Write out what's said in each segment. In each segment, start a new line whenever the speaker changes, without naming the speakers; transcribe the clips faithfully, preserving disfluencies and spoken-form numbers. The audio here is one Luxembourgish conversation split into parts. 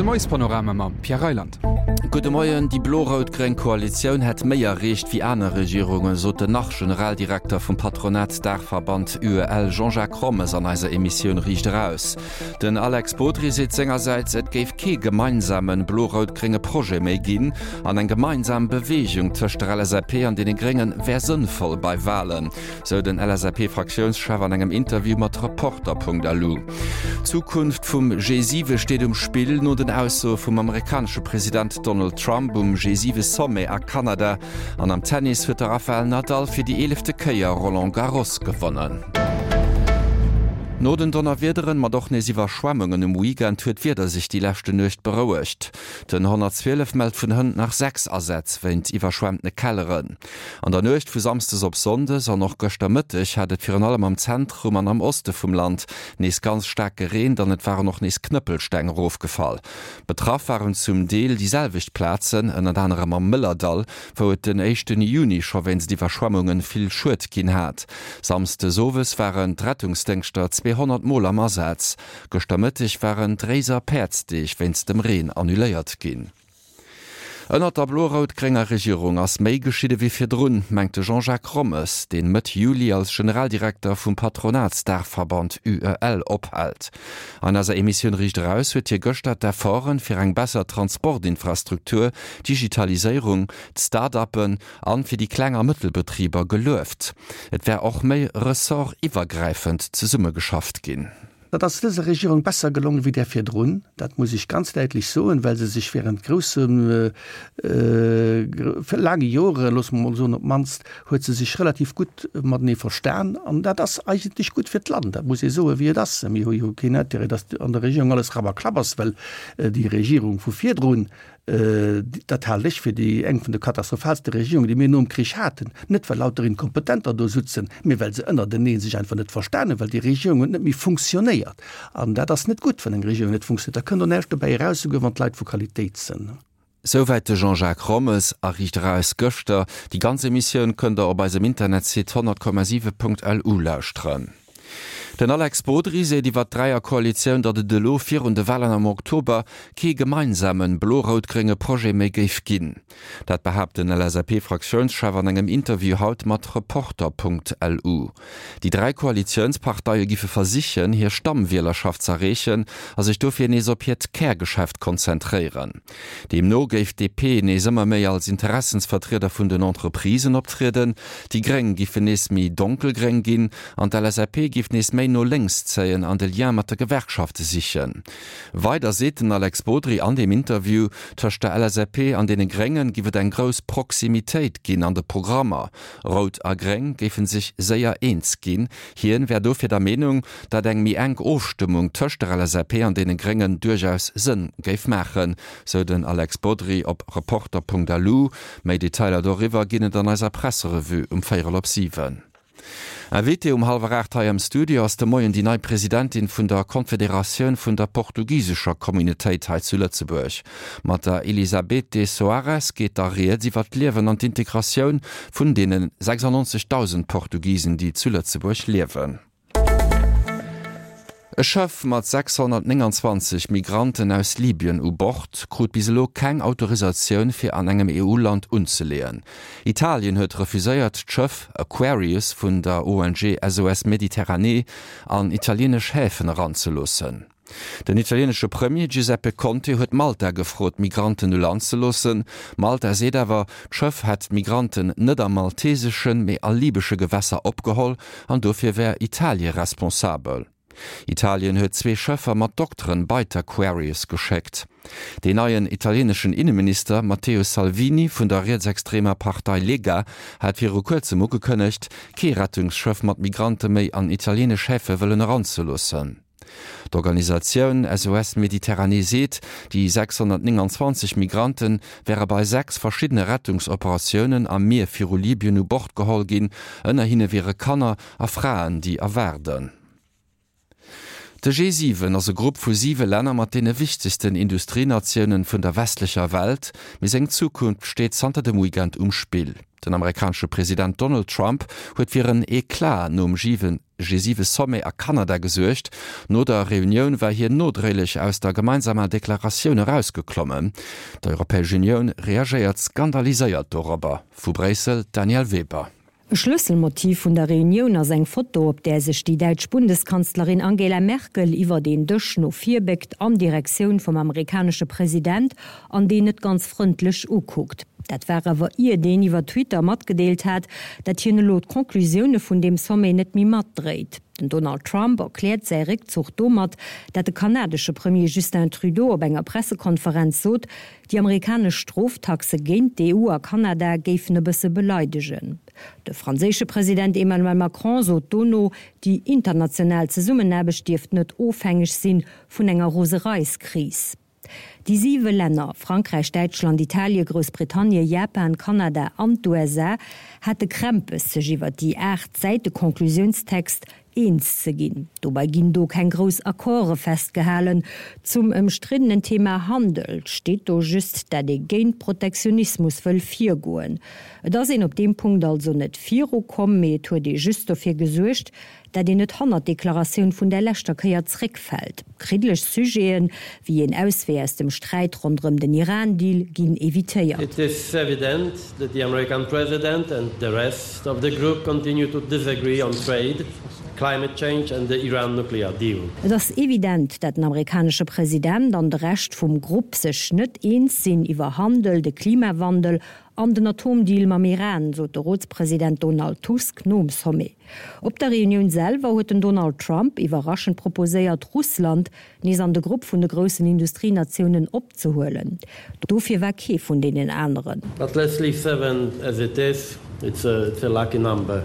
De Moiespanorama mam Pierre Reyland.
Gudde Moien. Déi blo-rout-gréng Koalitioun hätt méi erreecht wéi aner Regierungen, sot den Nach-Generaldirekter vum Patronatsdaachverband UEL Jean-Jacques Rommes an eiser Emissioun Riicht Eraus. Den Alex Bodry seet sengersäits, et géif kee gemeinsame blo-rout-grénge Projet méi ginn an eng gemeinsam Beweegung tëscht der LSAP an deene Grénge wär sënnvoll bei Walen, sou den LSAP-Fraktiounschef an engem Interview mat Reporter.lu. D'Zukunft vum G siwe steet um Spill, no den Aussoe vum amerikanesche President Donald Trump um G siwe Sommet a Kanada. An am Tennis huet de Rafael Nadal fir déi eelefte Kéier Roland Garros gewonnen. No den Donnerwiederen, mat och nees Iwwerschwemmungen um Weekend, huet d'Wieder sech déi leschte Nuecht berouegt. Den honnertzwielef mellt vun hënt nach sechs Asätz wéint iwwerschwemmtene Kelleren. An der Nuecht vu Samsdes op Sonndes an och gëschter Mëtteg hat et virun allem am Zentrum an am Oste vum Land nees ganz staark gereent an et waren och nees Knëppelsteng erofgefall. Betraff waren zum Deel déi selwecht Plazen, ënnert anerem am Mëllerdall, wou et den éischten Juni scho wéinst Iwwerschwemmunge vill Schued ginn hat. Samsdes owes waren d'Rettungsdéngschter zweehonnert Mol am Asaz. Gëschter Mëtteg waren d'Réiser Päerdsdeeg wéinst dem Reen annuléiert ginn. Ënnert der blo-rout-grénger Regierung ass méi geschitt ewéi virdrun, mengt de Jean-Jacques Rommes, deen Mëtt Juli als Generaldirekter vum Patronatsdaachverband UEL ophält. An eiser Emissioun Riicht Eraus huet hie gëschter d'Efforten fir eng besser Transportinfrastruktur, d'Digitaliséierung, d'Start-uppen an fir déi Kleng a Mëttelbetriber gelueft. Et wär och méi ressortiwwergräifend zesummegeschafft ginn.
Dat ass dëser Regierung besser gelongen wéi där virdrun, dat muss ech ganz däitlech soen, well se sech während groussen, laange Joren, loosse mer emol soen, op d'mannst huet se sech relativ gutt matenee verstan. An dat ass eigentlech gutt fir d'Land, dat muss ee soen, wéi et ass. Mir hu jo keen Intérêt, datt an der Regierung alles Rapp a Klapp ass, well déi Regierung vu virdrun, Dat halen ech fir déi eng vun de katastrophaalste Regierungen, déi mir nom Krich haten. Net well lauter Inkompetenter do sutzen, mee well se ënnertenee sech einfach net verstan hunn, well déi Regierung huet net méi funktionéiert. An dat ass net gutt, wann eng Regierung net funktionéiert. Da kënnt och näischt dobäi eraus, souguer wann d'Leit vu Qualitéit sënn.
Souwäit de Jean-Jacques Rommes a Riicht Eraus gëschter. Déi ganz Emissioun kënnt der op eisem Internetsite honnert Komma siwe Punkt lu lauschteren. Den Alex Bodry seet iwwer d'Dräierkoalitioun, datt et elo virun de Walen am Oktober kee gemeinsame blo-rout-grénge Projet méi géif ginn. Dat behaapt den LSAP-Fraktiounschef an engem Interview haut mat Reporter.lu. Déi dräi Koalitiounsparteie giffe versichen, hir Stammwielerschaft z'erreechen a sech dofir nees op hiert Kärgeschäft konzentréieren. Deemno géif d'DP nees ëmmer méi als Interessensvertrieder vun den Entreprisen optrieden, déi Gréng giffen nees méi donkelgréng ginn an d'LSAP giff nees méi no lénks zéien an de Lien mat de Gewerkschafte sichen. Weider seet den Alex Bodry an deem Interview, tëscht der LSAP an deene Gréngen giff et eng grouss Proximitéit ginn an de Programmer. Rout a Gréng géife sech séier eens ginn. Hien wär dofir der Meenung, datt eng méi enk Ofstëmmung tëscht der LSAP an deene Gréngen duerchaus Sënn géif maachen, sou den Alex Bodry op Reporter.lu. Méi Detailer doriwwer ginn et an eiser Presserevue um véierel op siwen. Invitée um hallwer aacht hei am Studio ass de Moien déi nei Presidentin vun der Confederatioun vun der portugisescher Communautéit hei zu Lëtzebuerg. Mat der Elisabete Soares geet da rieds iwwer d'Liewen an d'Integratioun vun deene sechsundneunzegdausend Portugisen, déi zu Lëtzebuerg liewen. E Schëff mat sechshonnertnénganzwanzeg Migranten aus Libyen u Bord krut bis elo keng Autorisatioun fir an engem E U-Land unzeleeën. Italien huet refuséiert d'Schëff Aquarius vun der O N G S O S Méditerranée an italienesch Häfen eranzeloossen. Den italienesche Premier Giuseppe Conte huet Malta gefrot, d'Migranten u Land ze loossen. Malta seet awer, d'Schëff hätt d'Migranten net a malteseschen, mee a libesche Gewässer opgeholl an dofir wär Italie responsabel. Italien huet zwee Schëffer mat Dokteren bei d'Aquarius geschéckt. Deen neien italieneschen Inneminister Matteo Salvini vun der rietsextremer Partei Lega hat viru kuerzem ugekënnegt, kee Rettungsschëff mat Migrante méi an italienesch Häfe wëllen eranzeloossen. D'Organisatioun S O S Méditerranée seet, déi sechshonnertnénganzwanzeg Migrante wäre bei sechs verschiddene Rettungsoperatiounen am Mier viru Libyen u Bord geholl ginn. Ënner hinne wiere Kanner a Fraen, déi erwaarden. De G siwen ass e Grupp vu siwe Länner mat deene wichtegsten Industrienatiounen vun der westlecher Welt, mee seng Zukunft steet zanter dem Weekend um Spill. Den amerikanesche President Donald Trump huet fir en Eclat nom G siwe Sommet a Kanada gesuergt. No der Reunioun war hien nodréiglech aus der gemeinsamer Deklaratioun erausgeklommen. D'Europäesch Unioun reagéiert skandaliséiert dorobber. Vu Bréissel d'Danièle Weber.
E Schlësselmotiv vun der Reunioun ass eng Foto, op där sech déi däitsch Bundeskanzlerin Angela Merkel iwwer den Dësch no vir béckt an Direktioun vum amerikanesche President an deen net ganz frëndlech ukuckt. Dat war awer ier deen iwwer Twitter matgedeelt hat, dat hien elo d'Conclusioune vun deem Sommet net méi matdréit. Den Donald Trump erkläert säi Réckzuch domat, dat de kanadesche Premier Justin Trudeau op enger Pressekonferenz sot, déi amerikanesch Stroftaxe géint d'EU a Kanada géifen e bësse beleidegen. De franséische President Emmanuel Macron sot dono, déi international Zesummenaarbecht dierft net ofhängeg si vun enger Rosereiskris. Déi siwe Länner, Frankräich, Däitschland, Italie, Groussbritannien, Japan, Kanada an d'USA, hate Krämpes, sech iwwer déi aacht Säite Conclusiounstext eens ze ginn. Dobäi ginn do keng grouss Accorde festgehalen. Zum ëmstriddenen Thema Handel steet do just, dat ee géint Protektionismus wëll virgoen. Et ass een op deem Punkt also net virukomm, mee et huet ee just dofir gesuergt, dat een net hannert d'Deklaratioun vun der leschter Kéier zréckfält. Kriddeleg Sujeten, wéi een Auswee aus dem Sträit ronderëm den Iran-Deal, ginn evitéiert.
It is evident that the American president and the rest of the group continue to disagree on trade, climate change and the Iran nuclear deal.
Et ass evident, dat den amerikanesche President an de Rescht vum Grupp sech net eens sinn iwwer Handel, de Klimawandel an den Atomdeal mam Iran, sot de Rotspresident Donald Tusk nom Sommet. Op der Reunioun selwer huet den Donald Trump iwwerraschend proposéiert, Russland nees an de Grupp vun de groussen Industrienatiounen opzehuelen. Dofir war kee vun deenen aneren.
But let's leave seven as it is, it's a, it's a lucky number,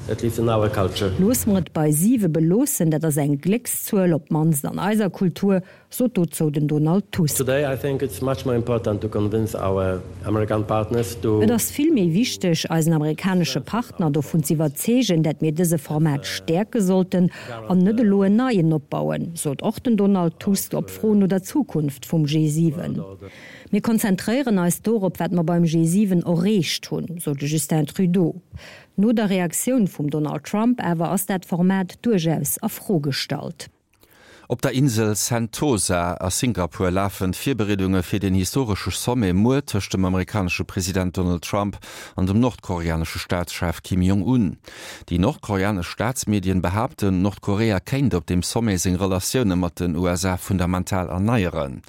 at least in our culture.
Loosse mer et bei siwe beloossen, dat ass eng Gléckszuel, op d'mannst an eiser Kultur, sot dozou den Donald Tusk.
Today I think it's much more important to convince our American partners to.
Et ass vill méi wichteg, eisen amerikanesche Partner dovun z'iwwerzeegen, dat mir dëse Format stäerke sollten an net elo en neien opbauen, sot och den Donald Tusk op Fro no der Zukunft vum G siwen. Mir konzentréieren eis dorop, wat mer beim G siwen erreecht hunn, sot de Justin Trudeau. No der Reaktioun vum Donald Trump awer ass dat Format duerchaus a Fro gestallt.
Op der Insel Sentosa a Singapur lafen d'Virbereedunge fir den historesche Sommet muer tëscht dem amerikanesche President Donald Trump an dem nordkoreanesche Staatschef Kim Jong-un. Déi nordkoreanesch Staatsmedien behaapten, Nordkorea kéint op deem Sommet seng Relatioune mat den U S A fundamental erneieren.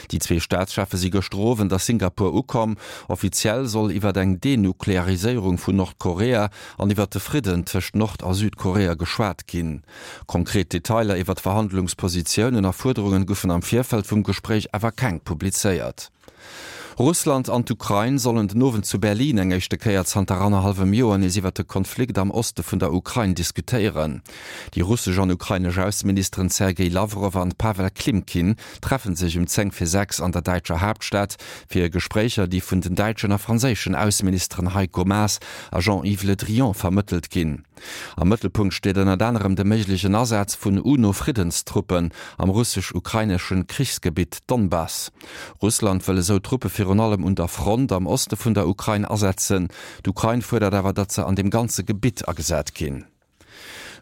Déi zwee Staatscheffe si gëschter Owend a Singapur ukomm. Offiziell soll iwwer eng Denukleariséierung vun Nordkorea an iwwer de Fridden tëscht Nord a Südkorea geschwat ginn. Konkret Detailer iwwer d'Verhandlungspositiounen a Fuerderungen goufen am Virfeld vum Gespréich awer keng publizéiert. Russland an d'Ukrain sollen den Owend zu Berlin eng éischte Kéier zanter annerhallwem Joer nees iwwer de Konflikt am Oste vun der Ukrain diskutéieren. Déi russesch an ukrainesch Ausseministeren Sergej Lawrow an Pawel Klimkin treffe sech um zéng vir sechs an der däitscher Haaptstad fir Gespréicher, déi vun den däitschen a franséischen Ausseministeren Heiko Maas a Jean-Yves Le Drian vermëttelt ginn. Am Mëttelpunkt steet ënnert anerem de méiglechen Asaz vun UNO-Friddenstruppen am russesch-ukraineschen Krichsgebitt Donbass. Russland wëll esou Truppe virun allem un der Front am Oste vun der Ukrain asetzen. D'Ukrain fuerdert awer, datt se an deem ganze Gebitt agesat ginn.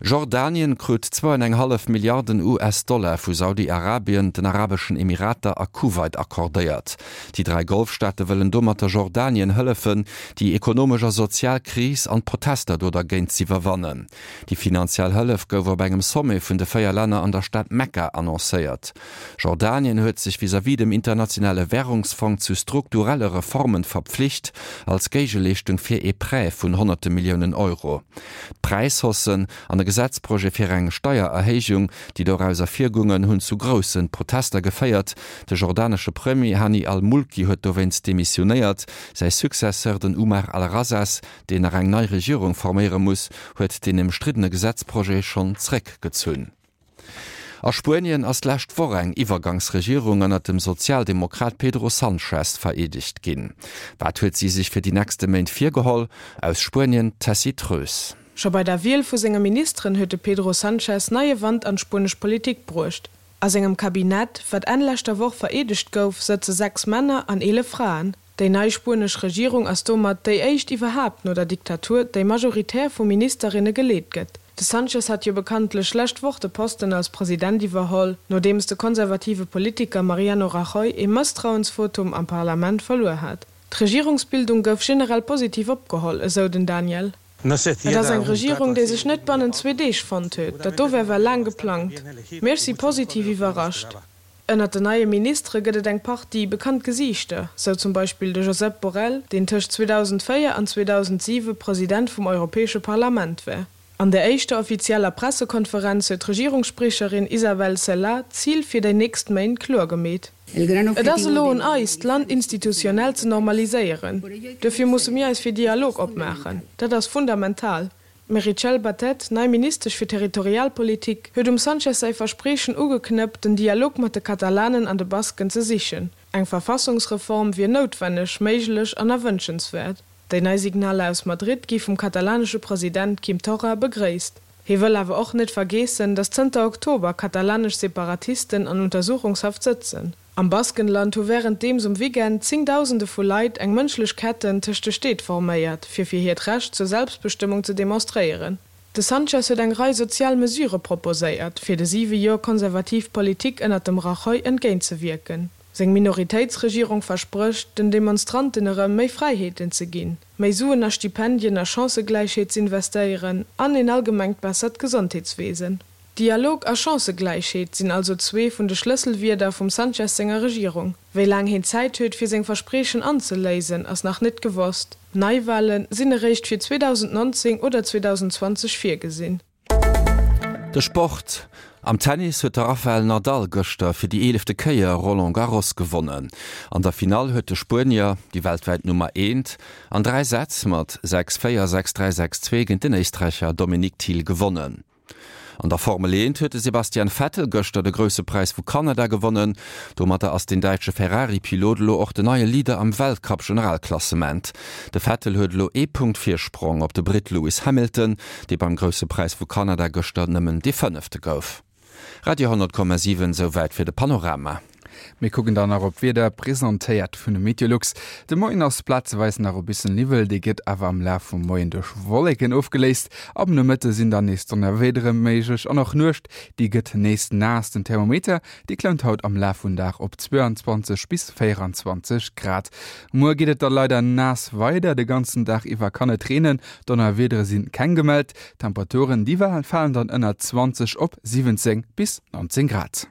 Jordanien krut zwou an eng hallef Milliarden U S-Dollar vu Saudi-Arabien, den Arabeschen Emirater a Kuwait accordéiert. Déi dräi Golfstaate wëllen domatter Jordanien hëllefen, déi ekonomesch a sozial Kris an d'Protester do dergéint z'iwwerwannen. Déi finanziell Hëllef gouf op engem Sommet vun de véier Länner an der Stad Mekka annoncéiert. Jordanien huet sech vis-à-vis dem Internationale Wärungsfong zu strukturelle Reformen verpflicht, als Géigeleeschtung fir ee Prêt vun honnerte Milliounen Euro. D'Präishaussen an e Gesetzprojet fir eng Steiererhéijung, déi doraus ervirgoungen, hunn zu grousse Protester geféiert. De jordanesche Premier Hani al-Mulki huet dowéinst demissionéiert. Säi Successeur, den Umar al-Razzaz, deen nach eng nei Regierung forméiere muss, huet deen ëmstriddene Gesetzprojet schonn zeréckgezunn. A Spuenien ass d'lescht Woch eng Iwwergangsregierung ënnert dem Sozialdemokrat Pedro Sanchez vereedegt ginn. Wat huet si sech fir déi nächste Méint virgeholl? Aus Spuenien d'Tessy Treus.
Scho bei der Wiel vu senge Ministeren huet de Pedro Sanchez neie Wand an d'spuenesch Politik bruecht. A sengem Kabinett, wat Enn leschter Woch vereedegt gouf, sëtze sechs Männer an eelef Fraen. Déi nei spuenesch Regierung ass domat déi éischt iwwerhaapt no der Diktatur, déi majoritär vu Ministerinne geleet gëtt. De Sánchez hat jo bekanntlech lescht Woch de Posten als President iwwerholl, nodeems de konservative Politiker Mariano Rajoy ee Mësstrauensvotum am Parlament verluer hat. D'Regierungsbildung gouf generell positiv opgeholl, esou den Daniel. Et ass eng Regierung, déi sech net bannent zwee Deeg fonnt huet. Dat do war well laang geplangt. Mee ech si positiv iwwerrascht. Ënnert den neie Ministere gëtt et eng Partie bekannt Gesiichter, sou zum Beispill de Josep Borrell, deen tëscht zweedausendvéier an zweedausendsiwe President vum Europäesche Parlament war. An der éischter offizieller Pressekonferenz huet d'Regierungsspriecherin Isabel Celaá d'Zil fir déi nächst Méint kloer gemeet. Et ass elo un eis, d'Land institutionell ze normaliséieren. Dofir musse mir eis fir Dialog opmaachen. Dat ass fundamental. D'Meritxell Batet, nei Ministesch fir Territorialpolitik, huet um Sánchez säi Verspriechen ugeknëppt, den Dialog mat de Katalanen an de Basken ze sichen. Eng Verfassungsreform wier noutwenneg, méiglech an erwënschenswäert. Déi nei Signaler aus Madrid gi vum katalanesche President Quim Torra begréisst. Hie wëll awer och net vergeessen, datt zënter Oktober katalanesch Separatisten an Untersuchungshaft sëtzen. Am Baskenland hu wärenddeems um Weekend Zéngdausende vu Leit eng mënschlech Ketten tëscht de Stied forméiert, fir fir hiert Recht zur Selbstbestëmmung ze demonstréieren. De Sánchez huet eng Rei sozial Mesurë proposéiert, fir de siwe Joer konservativ Politik ënnert dem Rajoy entgéintzewierken. Seng Minoritéitsregierung versprécht, den Demonstranten erëm méi Fräiheeten ze ginn, méi Suen a Stipendien a Chancëgläichheet z'investéieren an een allgemengt bessert Gesondheetswesen. Dialog a Chancëgläichheet sinn also zwee vun de Schlësselwierder vum Sánchez senger Regierung. Wéi laang hien Zäit huet, fir seng Verspriechen anzeléisen, ass nach net gewosst. Neiwale sinn eréischt fir zweedausendnonzéng oder zweedausendzwanzeg virgesinn.
De Sport, Am Tennis huet de Rafael Nadal gëschter fir déi eelefte Kéier Roland Garros gewonnen. An der Finall huet de Spuenier, déi weltwäit Nummer eent, an dräi Sätz mat sechs, véier, sechs, dräi, sechs, zwee géint den Éisträicher Dominic Thiem gewonnen. An der Formel eent huet de Sebastian Vettel gëschter de Grousse Präis vu Kanada gewonnen. Domatter ass den däitsche Ferrari-Pilot elo och den neie Leader am Weltcup-Generalklassement. De Vettel huet elo ee Punkt Virsprong op de Britt Lewis Hamilton, dee beim Grousse Präis vu Kanada gëschter nëmmen dee Fënnefte gouf. Radio honnert Komma siwen, Souwäit fir de Panorama.
Mir kucken dann nach op d'Wieder, presentéiert vun Meteolux. De Moien ass plazeweis nach e bëssen Niwwel, dee gëtt awer am Laf vum Moien duerch Wolleken ofgeléist. Ab Nomëtte sinn dann nees Donnerwiedere méiglech an och d'Nuecht, déi gëtt nees naass. Den Thermometer, dee klëmmt haut am Laf vum Dag op zwouanzwanzeg bis véieranzwanzeg Grad. Muer geet et da leider naass weider, de ganzen Dag iwwer kann et reenen, Donnerwiedere si keng gemellt. D'Temperaturen, déi falen dann ënner zwanzeg op siwwenzéng bis nonzéng Grad.